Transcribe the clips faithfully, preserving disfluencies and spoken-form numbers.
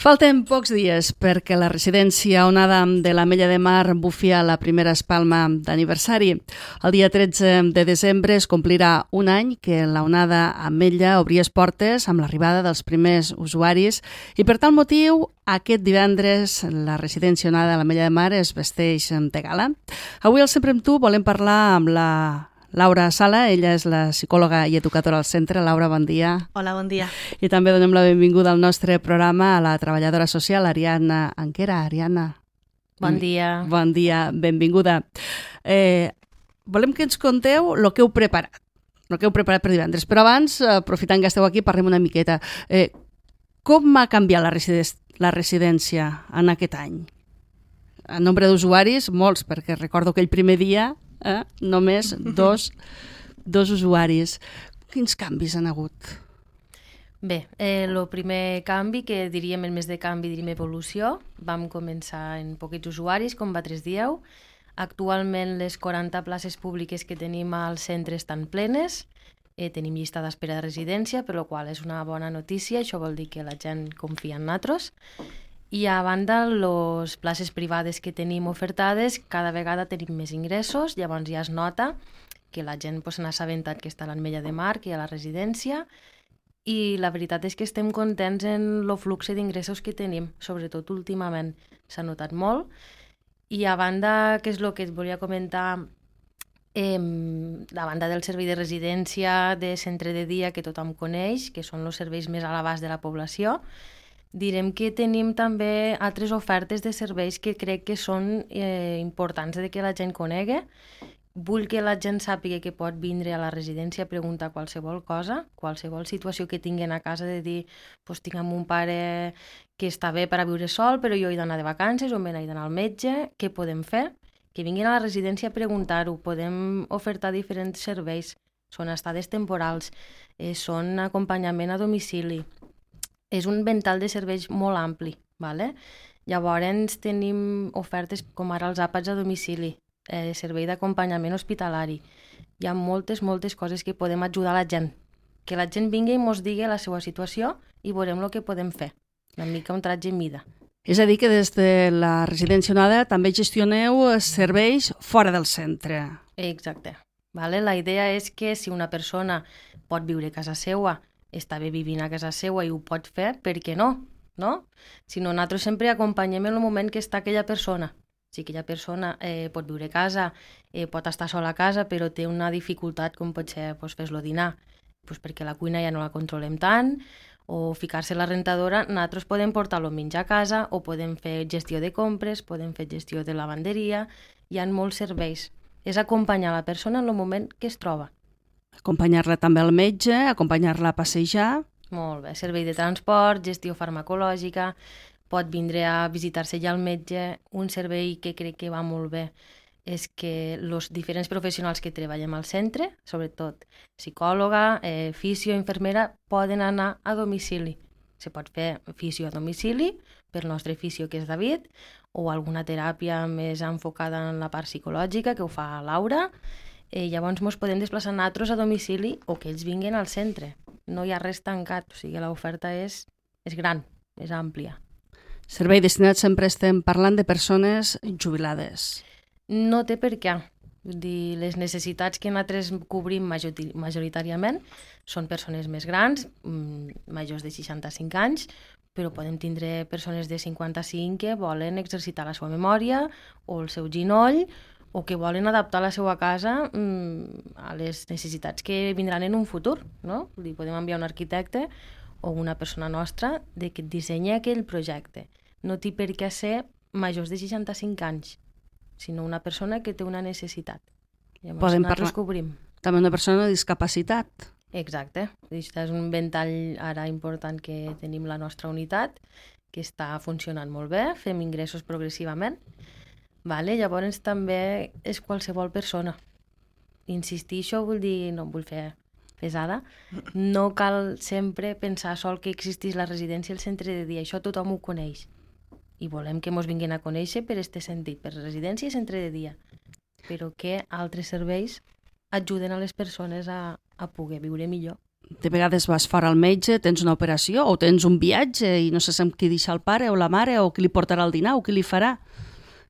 Falten pocs dies perquè la residència Onada de l'Ametlla de Mar bufi a la primera espalma d'aniversari. El dia tretze de desembre es complirà un any que la Onada Ametlla obria les portes amb l'arribada dels primers usuaris i per tal motiu aquest divendres la residència Onada de l'Ametlla de Mar es vesteix de gala. Avui al Sempre amb tu volem parlar amb la Laura Sala, ella és la psicòloga i educadora al centre. Laura, bon dia. Hola, bon dia. I també donem la benvinguda al nostre programa a la treballadora social Ariadna Anquera. Ariadna. Bon dia. Bon dia, benvinguda. Eh, volem que ens conteu el que heu preparat, el que heu preparat per divendres. Però abans, aprofitant que esteu aquí, parlem una miqueta. Eh, com ha canviat la, residen- la residència en aquest any? En nombre d'usuaris, molts, perquè recordo que el primer dia Eh? només dos, dos usuaris. Quins canvis han hagut? Bé, el eh, primer canvi, que diríem el mes de canvi, diríem evolució, vam començar en poquets usuaris, com vosaltres dieu. Actualment les quaranta places públiques que tenim al centre estan plenes, eh, tenim llista d'espera de residència, per la qual és una bona notícia, això vol dir que la gent confia en nosaltres. I a banda, les places privades que tenim ofertades, cada vegada tenim més ingressos, llavors ja es nota que la gent pues, s'ha assabentat que està a l'Ametlla de Mar, que hi ha la residència, i la veritat és que estem contents en el flux d'ingressos que tenim, sobretot últimament s'ha notat molt. I a banda, que és el que et volia comentar, eh, a banda del servei de residència, de centre de dia, que tothom coneix, que són els serveis més a l'abast de la població, direm que tenim també altres ofertes de serveis que crec que són eh, importants de que la gent conegui. Vull que la gent sàpiga que pot vindre a la residència a preguntar qualsevol cosa, qualsevol situació que tinguin a casa, de dir, pues, tinc un pare que està bé per a viure sol, però jo he d'anar de vacances o me n'he d'anar al metge, què podem fer? Que vinguin a la residència a preguntar-ho, podem ofertar diferents serveis, són estades temporals, eh, són acompanyament a domicili. És un ventall de serveis molt ampli, ¿vale? Llavors tenim ofertes com ara els àpats a domicili, eh, servei d'acompanyament hospitalari. Hi ha moltes, moltes coses que podem ajudar la gent. Que la gent vingui i ens digui la seva situació i veurem el que podem fer. Una mica un tratge en mida. És a dir, que des de la residència Onada també gestioneu serveis fora del centre. Exacte. Vale? La idea és que si una persona pot viure a casa seva, està bé vivint a casa seva i ho pot fer, per què no? No? Si no, nosaltres sempre acompanyem en el moment que està aquella persona. Si aquella persona eh, pot viure a casa, eh, pot estar sola a casa, però té una dificultat com pot ser pues, fer-lo dinar, pues, perquè la cuina ja no la controlem tant, o ficar-se a la rentadora, nosaltres podem portar-lo menjar a casa, o podem fer gestió de compres, podem fer gestió de lavanderia, hi ha molts serveis. És acompanyar la persona en el moment que es troba. Acompanyar-la també al metge, acompanyar-la a passejar. Molt bé, servei de transport, gestió farmacològica, pot vindre a visitar-se ja al metge. Un servei que crec que va molt bé és que els diferents professionals que treballem al centre, sobretot psicòloga, eh, fisio, infermera, poden anar a domicili. Se pot fer fisio a domicili, pel nostre fisio que és David, o alguna teràpia més enfocada en la part psicològica, que ho fa Laura. Eh, llavors ens podem desplaçar nosaltres a domicili o que ells vinguin al centre. No hi ha res tancat, o sigui, l'oferta és, és gran, és àmplia. Servei destinat, sempre estem parlant de persones jubilades. No té per què. Vull dir, les necessitats que nosaltres cobrim majoritàriament són persones més grans, majors de seixanta-cinc anys, però podem tindre persones de cinquanta-cinc que volen exercitar la seva memòria o el seu ginoll, o que volen adaptar la seva casa mmm, a les necessitats que vindran en un futur, no? Vull dir, podem enviar un arquitecte o una persona nostra de que dissenyi aquell projecte. No té per què ser majors de seixanta-cinc anys, sinó una persona que té una necessitat. Llavors, podem nosaltres parlar cobrim. També una persona amb discapacitat. Exacte. Això és un ventall ara important que tenim la nostra unitat, que està funcionant molt bé, fem ingressos progressivament. Vale, llavors també és qualsevol persona. Insistir, això vull dir, no vull fer pesada, no cal sempre pensar sol que existís la residència al centre de dia, això tothom ho coneix. I volem que ens vinguin a conèixer per aquest sentit, per residència i centre de dia, però que altres serveis ajuden a les persones a, a poder viure millor. De vegades vas fora al metge, tens una operació o tens un viatge i no saps amb qui deixar el pare o la mare o qui li portarà el dinar o qui li farà.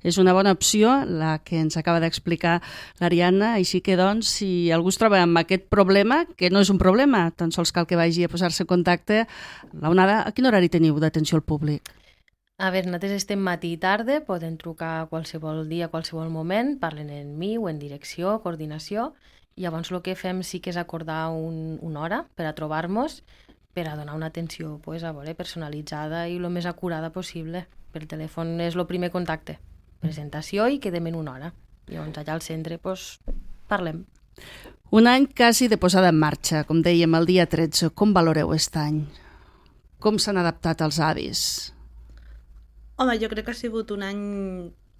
És una bona opció la que ens acaba d'explicar l'Ariadna, així que doncs si algú es troba amb aquest problema, que no és un problema, tan sols cal que vagi a posar-se en contacte, l'Onada, a quin horari teniu d'atenció al públic? A veure, nosaltres estem matí i tarda, poden trucar qualsevol dia, qualsevol moment, parlen en mi o en direcció, coordinació. Llavors el que fem sí que és acordar un, una hora per a trobar-nos, per a donar una atenció pues, a veure, personalitzada i el més acurada possible. Per telèfon és el primer contacte. Presentació i quedem en una hora. Llavors allà al centre pues, parlem. Un any quasi de posada en marxa, com dèiem, el dia tretze. Com valoreu aquest any? Com s'han adaptat els avis? Home, jo crec que ha sigut un any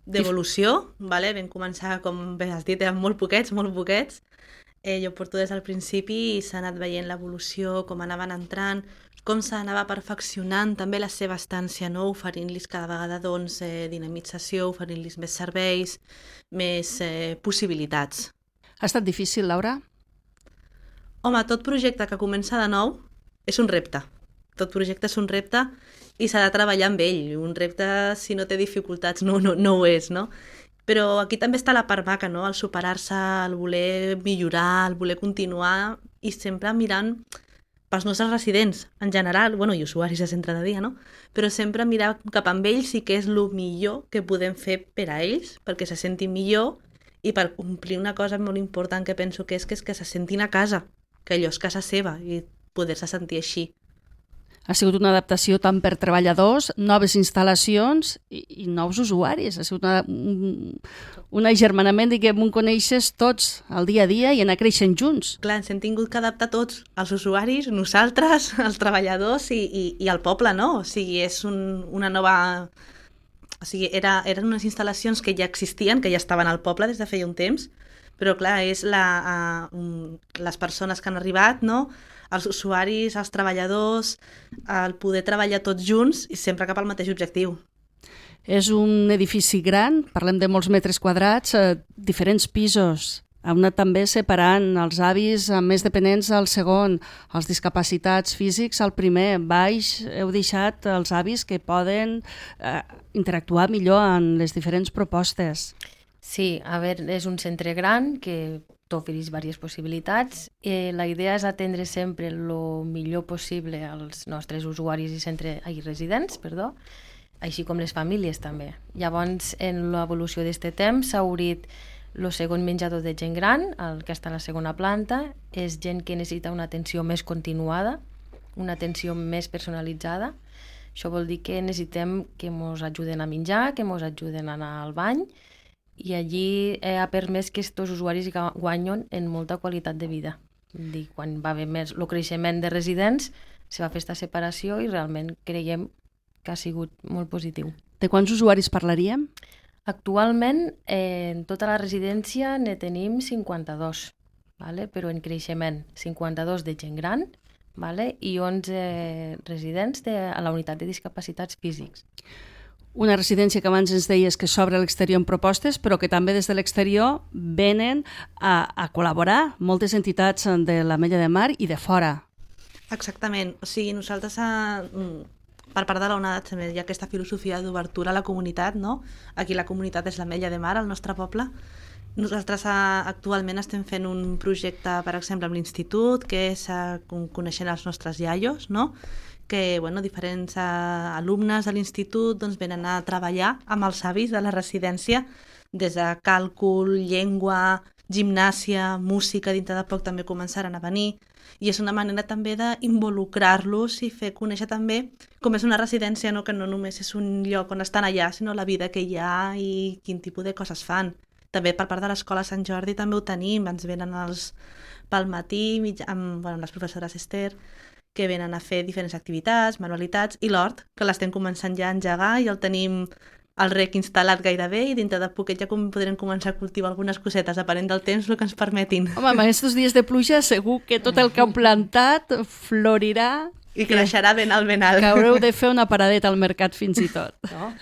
d'evolució, vale? Vam començar, com bé has dit, eren molt poquets, molt poquets. Eh, jo porto des del principi i s'ha anat veient l'evolució, com anaven entrant, com s'anava perfeccionant també la seva estància, no? Oferint-los cada vegada doncs, eh, dinamització, oferint-los més serveis, més eh, possibilitats. Ha estat difícil, Laura? Home, tot projecte que comença de nou és un repte. Tot projecte és un repte i s'ha de treballar amb ell. Un repte, si no té dificultats, no, no, no ho és, no? Però aquí també està la part maca, no? El superar-se, el voler millorar, el voler continuar i sempre mirant pels nostres residents, en general, bueno, i usuaris de centre de dia, no? Però sempre mirar cap amb ells i què és el millor que podem fer per a ells, perquè se sentin millor i per complir una cosa molt important que penso que és que, és que se sentin a casa, que allò és casa seva i poder-se sentir així. Ha sigut una adaptació tant per treballadors, noves instal·lacions i, i nous usuaris. Ha sigut una, un, un agermanament, diguem, on coneixes tots el dia a dia i anar creixent junts. Clar, ens hem tingut que adaptar tots, els usuaris, nosaltres, els treballadors i, i, i el poble, no? O sigui, és un, una nova... O sigui, era, eren unes instal·lacions que ja existien, que ja estaven al poble des de feia un temps, però clar, és la, uh, um, les persones que han arribat, no?, els usuaris, els treballadors, el poder treballar tots junts i sempre cap al mateix objectiu. És un edifici gran, parlem de molts metres quadrats, eh, diferents pisos. Heu anat també separant els avis amb més dependents al segon, els discapacitats físics al primer. Baix heu deixat els avis que poden eh, interactuar millor en les diferents propostes. Sí, a veure, és un centre gran que t'ofereix diverses possibilitats. Eh, la idea és atendre sempre el millor possible als nostres usuaris i centre, ai, residents, perdó, així com les famílies també. Llavors, en l'evolució d'aquest temps s'ha obrit el segon menjador de gent gran, el que està a la segona planta, és gent que necessita una atenció més continuada, una atenció més personalitzada. Això vol dir que necessitem que ens ajuden a menjar, que ens ajuden a anar al bany, i allí eh, ha permès que aquests usuaris guanyen en molta qualitat de vida. Dir, quan va haver més el creixement de residents, se va fer aquesta separació i realment creiem que ha sigut molt positiu. De quants usuaris parlaríem? Actualment, eh, en tota la residència ne tenim cinquanta-dos, vale? Però en creixement, cinquanta-dos de gent gran, vale? I onze residents de, a la unitat de discapacitats físics. Una residència que abans ens deies que s'obre a l'exterior en propostes, però que també des de l'exterior venen a, a col·laborar moltes entitats de l'Ametlla de Mar i de fora. Exactament. O sigui, nosaltres, a, per part de l'Onada, també hi ha aquesta filosofia d'obertura a la comunitat, no? Aquí la comunitat és l'Ametlla de Mar, al nostre poble. Nosaltres a, actualment estem fent un projecte, per exemple, amb l'institut, que és a, coneixent els nostres iaios, no?, que bueno, diferents uh, alumnes de l'institut doncs, venen a treballar amb els avis de la residència des de càlcul, llengua, gimnàsia, música, dintre de poc també començaran a venir i és una manera també d'involucrar-los i fer conèixer també com és una residència, no? Que no només és un lloc on estan allà, sinó la vida que hi ha i quin tipus de coses fan. També per part de l'Escola Sant Jordi també ho tenim, ens venen els pel matí amb, bueno, amb les professores Esther, que venen a fer diferents activitats, manualitats, i l'hort, que l'estem començant ja a engegar i el tenim el rec instal·lat gairebé i dintre de poquet ja com podrem començar a cultivar algunes cosetes, depenent del temps el que ens permetin. Home, amb aquests dies de pluja segur que tot el que heu plantat florirà I creixerà ben alt, ben alt. Que haureu de fer una paradeta al mercat fins i tot. No?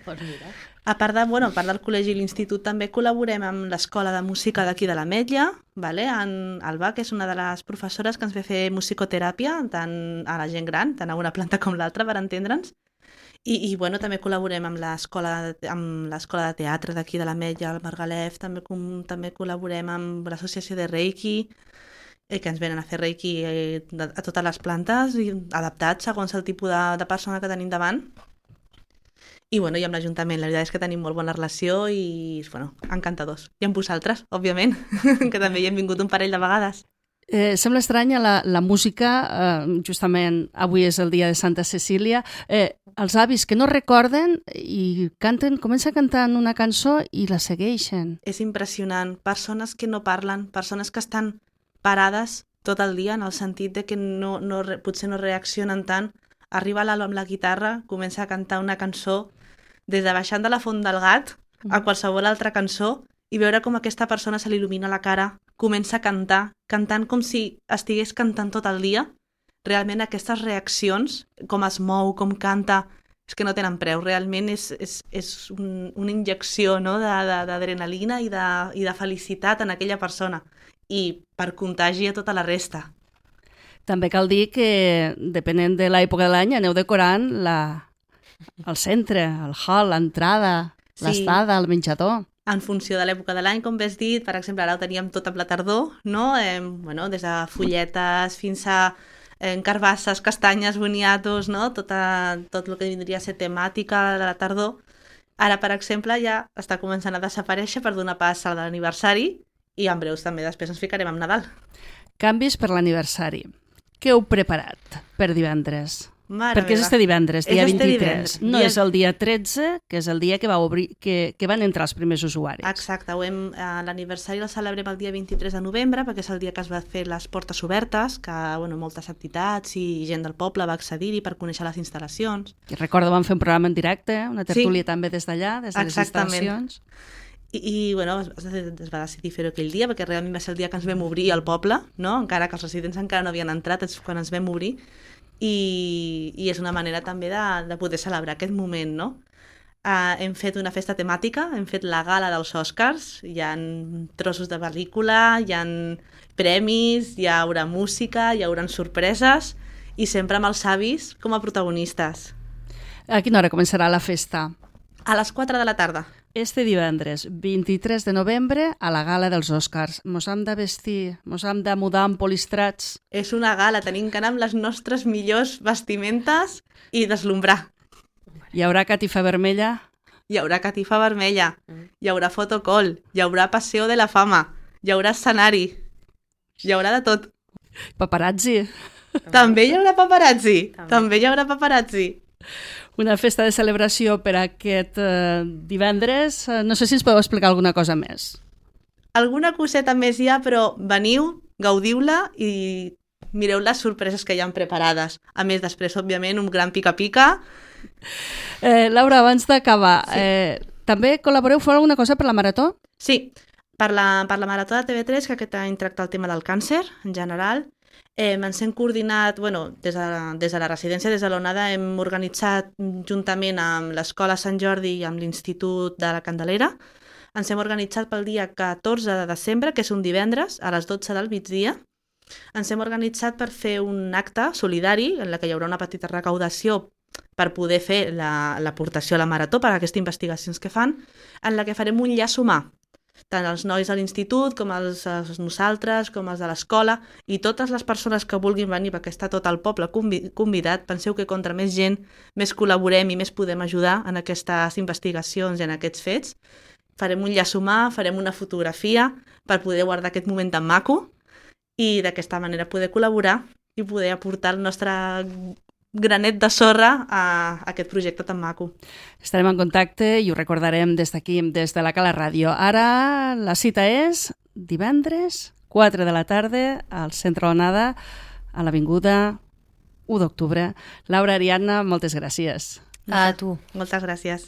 Pues mira. A part, de, bueno, a part del col·legi i l'institut, també col·laborem amb l'escola de música d'aquí de l'Ametlla, vale? En Alba, que és una de les professores que ens ve fer musicoteràpia, tant a la gent gran, tant a una planta com l'altra, per entendre'ns. I, i bueno, també col·laborem amb l'escola amb l'escola de teatre d'aquí de l'Ametlla, el Margalef, també, com, també col·laborem amb l'associació de Reiki, eh, que ens venen a fer Reiki eh, de, a totes les plantes, i adaptats segons el tipus de, de persona que tenim davant. I, bueno, i amb l'Ajuntament, la veritat és que tenim molt bona relació i, bueno, encantadors. I amb vosaltres, òbviament, que també hi hem vingut un parell de vegades. Eh, sembla estranya la, la música, eh, justament avui és el dia de Santa Cecília, eh, els avis que no recorden i canten, comencen cantant una cançó i la segueixen. És impressionant. Persones que no parlen, persones que estan parades tot el dia, en el sentit de que no, no, potser no reaccionen tant. Arriba l'Alba amb la guitarra, comença a cantar una cançó, des de Baixant de la Font del Gat a qualsevol altra cançó, i veure com aquesta persona se li il·lumina la cara, comença a cantar, cantant com si estigués cantant tot el dia. Realment aquestes reaccions, com es mou, com canta, és que no tenen preu. Realment és, és, és un, una injecció, no? d'adrenalina i, de, i de felicitat en aquella persona. I per contagi a tota la resta. També cal dir que, depenent de l'època de l'any, aneu decorant la, el centre, el hall, l'entrada, sí, l'estada, el menjador. En funció de l'època de l'any, com bé has dit, per exemple, ara ho teníem tot amb la tardor, no? Eh, bueno, des de folletes fins a eh, carbasses, castanyes, boniatos, no? Tot, a, tot el que vindria a ser temàtica de la tardor. Ara, per exemple, ja està començant a desaparèixer per donar pas a l'aniversari i en breus també després ens ficarem amb Nadal. Canvis per l'aniversari. Què heu preparat per divendres? Mare Perquè és meva. este divendres, dia És este vint-i-tres. divendres. No Dia- és el dia tretze, que és el dia que, va obrir, que, que van entrar els primers usuaris. Exacte, ho hem, eh, l'aniversari el celebrem el dia vint-i-tres de novembre, perquè és el dia que es va fer les portes obertes, que bueno, moltes entitats i gent del poble va accedir-hi per conèixer les instal·lacions. I recordo, vam fer un programa en directe, una tertúlia Sí. també des d'allà, des de les Exactament. instal·lacions. I, i bueno, es, es va decidir fer-ho aquell dia, perquè realment va ser el dia que ens vam obrir al poble, no? Encara que els residents encara no havien entrat, és quan ens vam obrir, i, i és una manera també de, de poder celebrar aquest moment, no? Uh, hem fet una festa temàtica, hem fet la gala dels Oscars, hi ha trossos de pel·lícula, hi ha premis, hi haurà música, hi haurà sorpreses, i sempre amb els avis com a protagonistes. A quina hora començarà la festa? A les quatre de la tarda. Este divendres, vint-i-tres de novembre, a la gala dels Oscars. Mos hem de vestir, mos hem de mudar amb polistrats. És una gala, tenim que anar amb les nostres millors vestimentes i deslumbrar. Hi haurà catifa vermella? Hi haurà catifa vermella, hi haurà fotocall, hi haurà paseo de la fama, hi haurà escenari, hi haurà de tot. Paparazzi? També hi haurà paparazzi, També. també hi haurà paparazzi. Una festa de celebració per aquest eh, divendres. Eh, no sé si ens podeu explicar alguna cosa més. Alguna coseta més hi ha, però veniu, gaudiu-la i mireu les sorpreses que hi han preparades. A més, després, òbviament, un gran pica-pica. Eh, Laura, abans d'acabar, Sí. eh, també col·laboreu, feu alguna cosa per la Marató? Sí, per la, per la Marató de T V tres, que aquest any tracta el tema del càncer, en general, eh, ens hem coordinat, bueno, des de, des de la residència, des de l'Onada, hem organitzat juntament amb l'Escola Sant Jordi i amb l'Institut de la Candelera, ens hem organitzat pel dia catorze de desembre, que és un divendres, a les dotze del migdia. Ens hem organitzat per fer un acte solidari, en la que hi haurà una petita recaudació per poder fer la- l'aportació a la Marató, per a aquestes investigacions que fan, en la que farem un llaç humà, tant els nois de l'institut com els, els nosaltres, com els de l'escola, i totes les persones que vulguin venir, perquè està tot el poble convi- convidat. Penseu que contra més gent, més col·laborem i més podem ajudar en aquestes investigacions i en aquests fets. Farem un llaç humà, farem una fotografia per poder guardar aquest moment tan maco i d'aquesta manera poder col·laborar i poder aportar el nostre granet de sorra a aquest projecte tan maco. Estarem en contacte i ho recordarem des d'aquí, des de la Cala Ràdio. Ara la cita és divendres, quatre de la tarda, al Centre Onada, a l'Avinguda u d'octubre. Laura, Ariadna, moltes gràcies. A tu. Moltes gràcies.